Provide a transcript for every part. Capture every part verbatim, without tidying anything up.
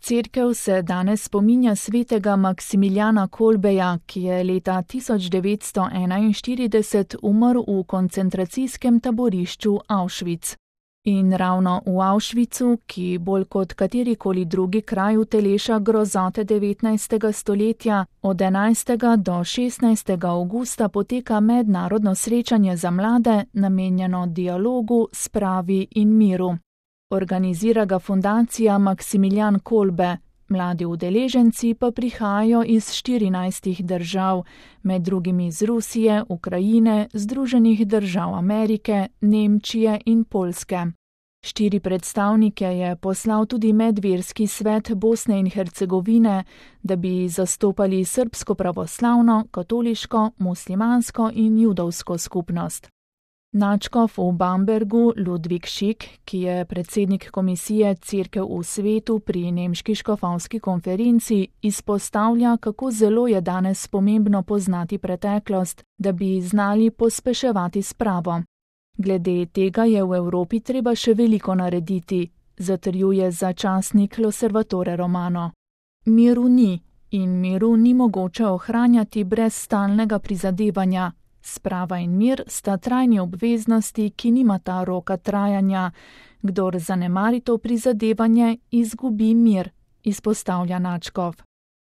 Cerkev se danes spominja svetega Maksimiljana Kolbeja, ki je leta tisoč devetsto enainštirideset umrl v koncentracijskem taborišču Auschwitz. In ravno v Auschwitzu, ki bolj kot katerikoli drugi kraj uteleša grozote devetnajstega stoletja, od enajstega do šestnajstega avgusta poteka mednarodno srečanje za mlade, namenjeno dialogu, spravi in miru. Organizira ga fundacija Maksimilijan Kolbe, mladi udeleženci pa prihajajo iz štirinajstih držav, med drugim iz Rusije, Ukrajine, Združenih držav Amerike, Nemčije in Poljske. Štiri predstavnike je poslal tudi medverski svet Bosne in Hercegovine, da bi zastopali srbsko pravoslavno, katoliško, muslimansko in judovsko skupnost. Nadškof v Bambergu Ludvik Šik, ki je predsednik komisije Cerkev v svetu pri nemški škofovski konferenci, izpostavlja, kako zelo je danes pomembno poznati preteklost, da bi znali pospeševati spravo. Glede tega je v Evropi treba še veliko narediti, zatrjuje začasnik L'Osservatore Romano. Miru ni in miru ni mogoče ohranjati brez stalnega prizadevanja. Sprava in mir sta trajni obveznosti, ki nimata roka trajanja. Kdor zanemari to prizadevanje, izgubi mir, izpostavlja nadškof.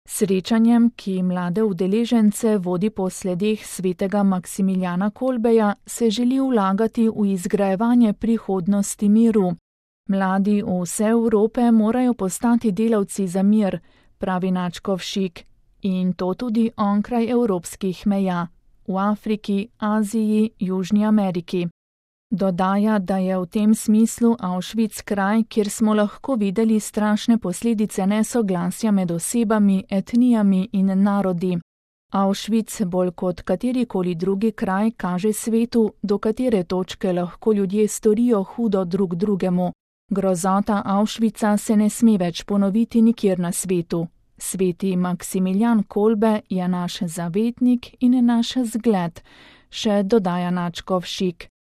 Srečanjem, ki mlade udeležence vodi po sledeh svetega Maksimiljana Kolbeja, se želi vlagati v izgrajevanje prihodnosti miru. Mladi vse Evrope morajo postati delavci za mir, pravi nadškof Šik, in to tudi onkraj evropskih meja. V Afriki, Aziji, Južni Ameriki. Dodaja, da je v tem smislu Auschwitz kraj, kjer smo lahko videli strašne posledice nesoglasja med osebami, etnijami in narodi. Auschwitz bolj kot katerikoli drugi kraj kaže svetu, do katere točke lahko ljudje storijo hudo drug drugemu. Grozota Auschwitza se ne sme več ponoviti nikjer na svetu. Sveti Maksimilijan Kolbe je naš zavetnik in naš zgled, še dodaja nadškof Šik.